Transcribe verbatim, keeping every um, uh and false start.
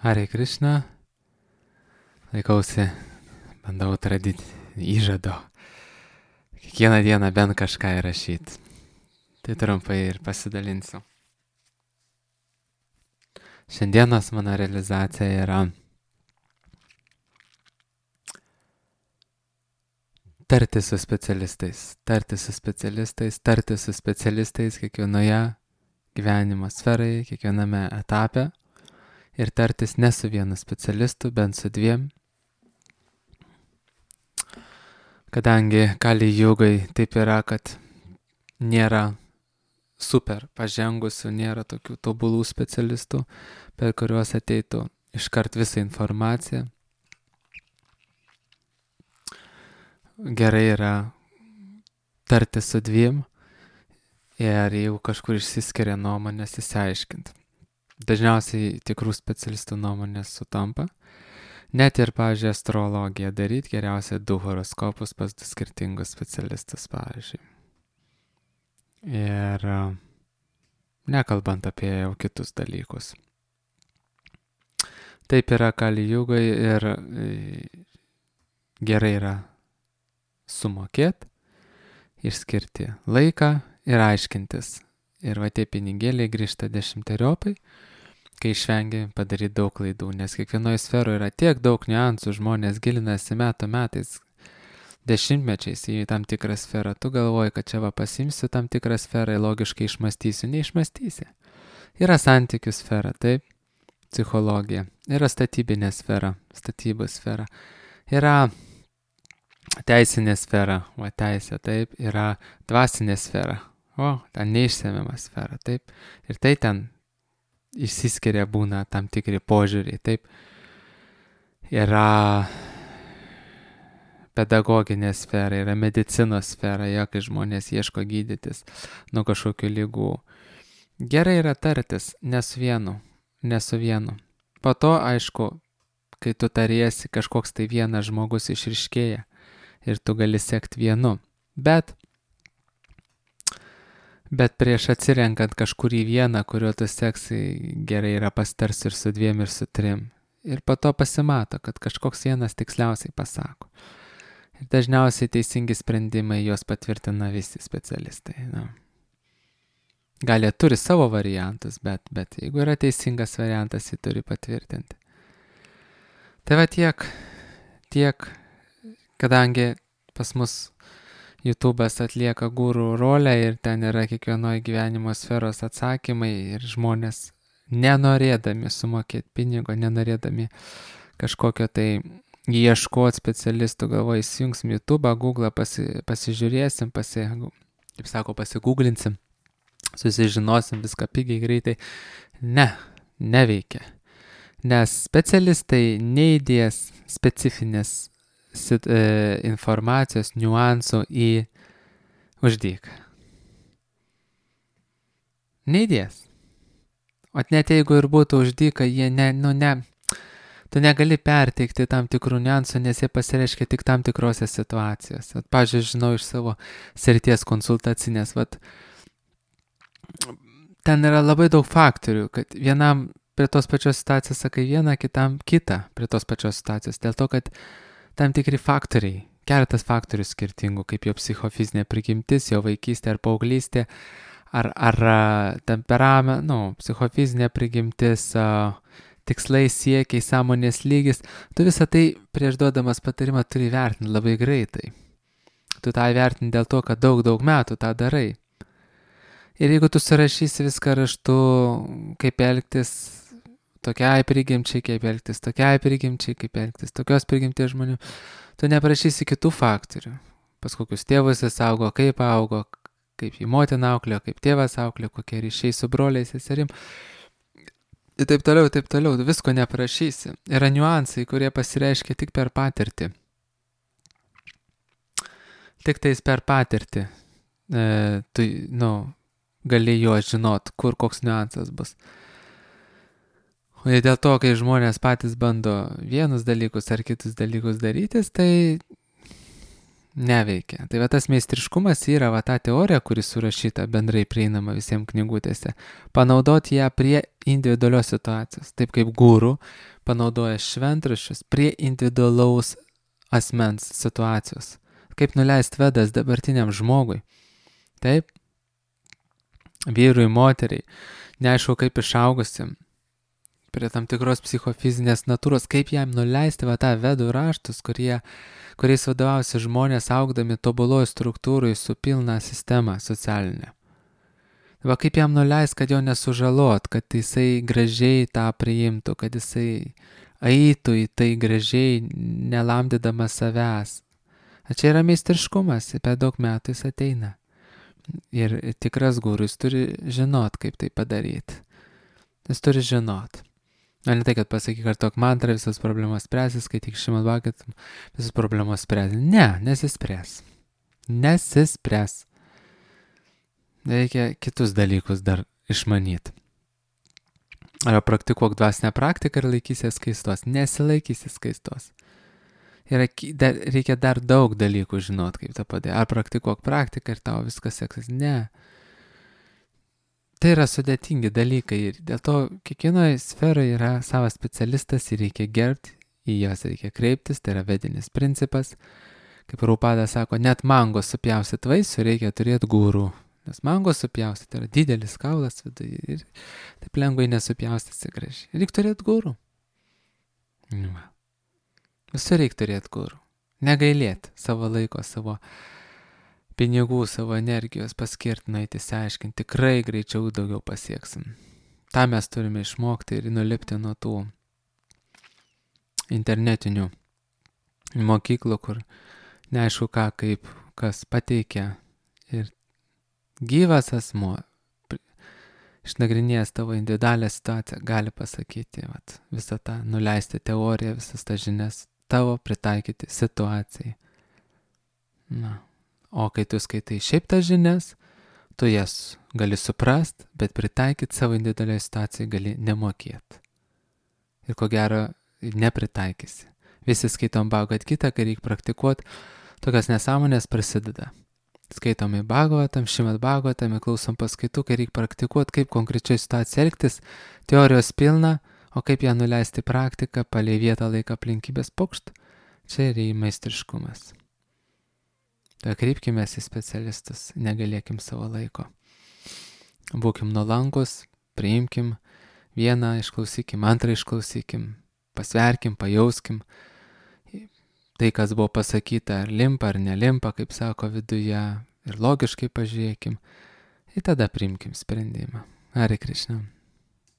Hare Krishna, laikausi, bandau atradyti įžado. Kiekvieną dieną bent kažką įrašyti. Tai trumpai ir pasidalinsiu. Šiandienos mano realizacija yra tarti su specialistais, tarti su specialistais, tarti su specialistais kiekvienoje gyvenimo sferoje, kiekviename etape ir tartis ne su vienu specialistu, bent su dviem. Kadangi Kali Jugai taip yra, kad nėra super pažengusių, nėra tokių tobulų specialistų, per kuriuos ateitų iškart visą informaciją. Gerai yra tarti su dviem ir jeigu kažkur išsiskiria nuomonės, įsiaiškinti. Dažniausiai tikrų specialistų nuomonės sutampa. Net ir, pavyzdžiui, astrologiją daryti geriausia du horoskopus pas du skirtingus specialistus, pavyzdžiui. Ir nekalbant apie jau kitus dalykus. Taip yra Kali Jugai ir gerai yra sumokėti, išskirti laiką ir aiškintis. Ir va tie pinigėliai grįžta dešimteriopai, kai išvengia padaryti daug klaidų, nes kiekvienoje sferoje yra tiek daug niuansų, žmonės gilinasi metų metais, dešimtmečiais į tam tikrą sferą. Tu galvoji, kad čia va pasimsiu tam tikrą sferą, logiškai išmastysiu, neišmastysi. Yra santykių sfera, taip, psichologija, yra statybinė sfera, statybų sfera, yra teisinė sfera, va teisė, taip, yra dvasinė sfera, o ten neišsemiama sfera, taip, ir tai ten išsiskiria būna tam tikri požiūriai, taip. Yra pedagoginė sfera, yra medicinos sfera, jo, kai žmonės ieško gydytis nuo kažkokių lygų. Gerai yra tartis, ne su vienu, ne su vienu. Po to, aišku, kai tu tariesi, kažkoks tai vienas žmogus išryškėja ir tu gali sekti vienu. Bet Bet prieš atsirenkant kažkurį vieną, kuriuo tu seksi, gerai yra pastars ir su dviem, ir su trim. Ir po to pasimato, kad kažkoks vienas tiksliausiai pasako. Ir dažniausiai teisingi sprendimai juos patvirtina visi specialistai. Na. Gal jie turi savo variantus, bet, bet jeigu yra teisingas variantas, jį turi patvirtinti. Tai va tiek, tiek, kadangi pas mus YouTube'as atlieka gurų rolę ir ten yra kiekvienoje gyvenimo sferos atsakymai ir žmonės nenorėdami sumokėti pinigo, nenorėdami kažkokio tai ieškoti specialistų, galvoja, įsijungsim YouTube'ą, Google'ą, pasi, pasižiūrėsim, pasi, kaip sako, pasigūglinsim, susižinosim viską pigiai, greitai. Ne, neveikia. Nes specialistai neįdės specifinės Sit, e, informacijos, niuansų į uždyką. Neįdės. O net jeigu ir būtų uždyka, jie ne, nu ne, tu negali perteikti tam tikrų niuansų, nes jie pasireiškia tik tam tikrose situacijose. Vat, pavyzdžiui, žinau iš savo srities konsultacinės, vat, ten yra labai daug faktorių, kad vienam prie tos pačios situacijos sakai vieną, kitam kitą prie tos pačios situacijos. Dėl to, kad tam tikri faktoriai, keletas faktorių skirtingų, kaip jo psichofizinė prigimtis, jo vaikystė ar paauglystė, ar, ar temperament, nu, psichofizinė prigimtis, uh, tikslai, siekiai, sąmonės lygis. Tu visą tai prieš duodamas patarimą turi vertinti labai greitai. Tu tą vertinti dėl to, kad daug, daug metų tą darai. Ir jeigu tu surašysi viską raštu, kaip elgtis tokiai prigimčiai, kaip elgtis, tokiai prigimčiai, kaip elgtis, tokios prigimties žmonių, tu neprašysi kitų faktorių. Pas kokius tėvus jis augo, kaip augo, kaip jį motina auklėjo, kaip tėvas auklėjo, kokie ryšiai su broliais, seserim. Ir taip toliau, taip toliau, tu visko neprašysi. Yra niuansai, kurie pasireiškia tik per patirtį. Tik tais per patirtį. E, tu, nu, gali juos žinot, kur koks niuansas bus. O dėl to, kai žmonės patys bando vienus dalykus ar kitus dalykus darytis, tai neveikia. Tai va tas meistriškumas yra va ta teorija, kuri surašyta bendrai prieinama visiems knygutėse. Panaudoti ją prie individualios situacijos. Taip kaip guru panaudoja šventraščius prie individualaus asmens situacijos. Kaip nuleisti vedas dabartiniam žmogui. Taip, vyrui, moteriai, neaišku kaip išaugusim, prie tam tikros psichofizinės natūros, kaip jam nuleisti va tą vedų raštus, kurie, kuriais vadovausi žmonės augdami tobuloje struktūroje su pilna sistema socialinė. Va kaip jam nuleisti, kad jo nesužalot, kad jisai gražiai tą priimtų, kad jisai eitų į tai gražiai, nelamdydamas savęs. A čia yra meistriškumas, per daug metų jis ateina. Ir tikras gurus turi žinot, kaip tai padaryti. Jis turi žinot. O ne tai, kad pasakyk kartok mantrą, visas problemas spręsis, kai tik Šrimad Bhagavatam, visas problemas spręsis. Ne, nesispręs. Nesispręs. Reikia kitus dalykus dar išmanyti. Arba praktikuok dvasinę praktiką ir laikysies skaistos. Nesilaikysies skaistos. Yra, dar, reikia dar daug dalykų žinot, kaip tą padėti. Ar praktikuok praktiką ir tau viskas seksis. Ne. Tai yra sudėtingi dalykai ir dėl to kiekvienoje sferoje yra savas specialistas ir reikia gerbti, į jas reikia kreiptis, tai yra vedinis principas. Kaip Raupada sako, net mango supjausit vaisių reikia turėti gurų. Nes mango supjausit, tai yra didelis kaulas viduje ir taip lengvai nesupjaustysi gražiai. Reikia turėti gurų. Va. Visur reikia turėti gurų. Negailėti savo laiko, savo pinigų, savo energijos paskirti, nueiti išsiaiškinti. Tikrai greičiau daugiau pasieksim. Ta mes turime išmokti ir nulipti nuo tų internetinių mokyklų, kur neaišku ką, kaip, kas pateikia. Ir gyvas asmuo, išnagrinėjęs tavo individualią situaciją, gali pasakyti, vat, visą tą nuleisti teoriją, visas tas žinias tavo pritaikyti situacijai. Na, o kai tu skaitai šiaip tas žinias, tu jas gali suprast, bet pritaikyti savo individualiai situacijai gali nemokėti. Ir ko gero nepritaikysi. Visi skaitom Bhagavad Gitą, kai reikia praktikuoti, tokios nesąmonės prasideda. Skaitom į Bhagavatam, Šrimad Bhagavatam, klausom paskaitų, kai reikia praktikuoti, kaip konkrečiai situacija elgtis, teorijos pilna, o kaip ją nuleisti praktiką, palei vietą laiką aplinkybės pokšt, čia yra į meistriškumas. Tai kreipkimės į specialistus, negalėkim savo laiko. Būkim nuolankus, priimkim, vieną išklausykim, antrą išklausykim, pasverkim, pajauskim. Tai, kas buvo pasakyta, ar limpa, ar nelimpa, kaip sako viduje, ir logiškai pažiūrėkim, ir tada priimkim sprendimą. Hare Krishna.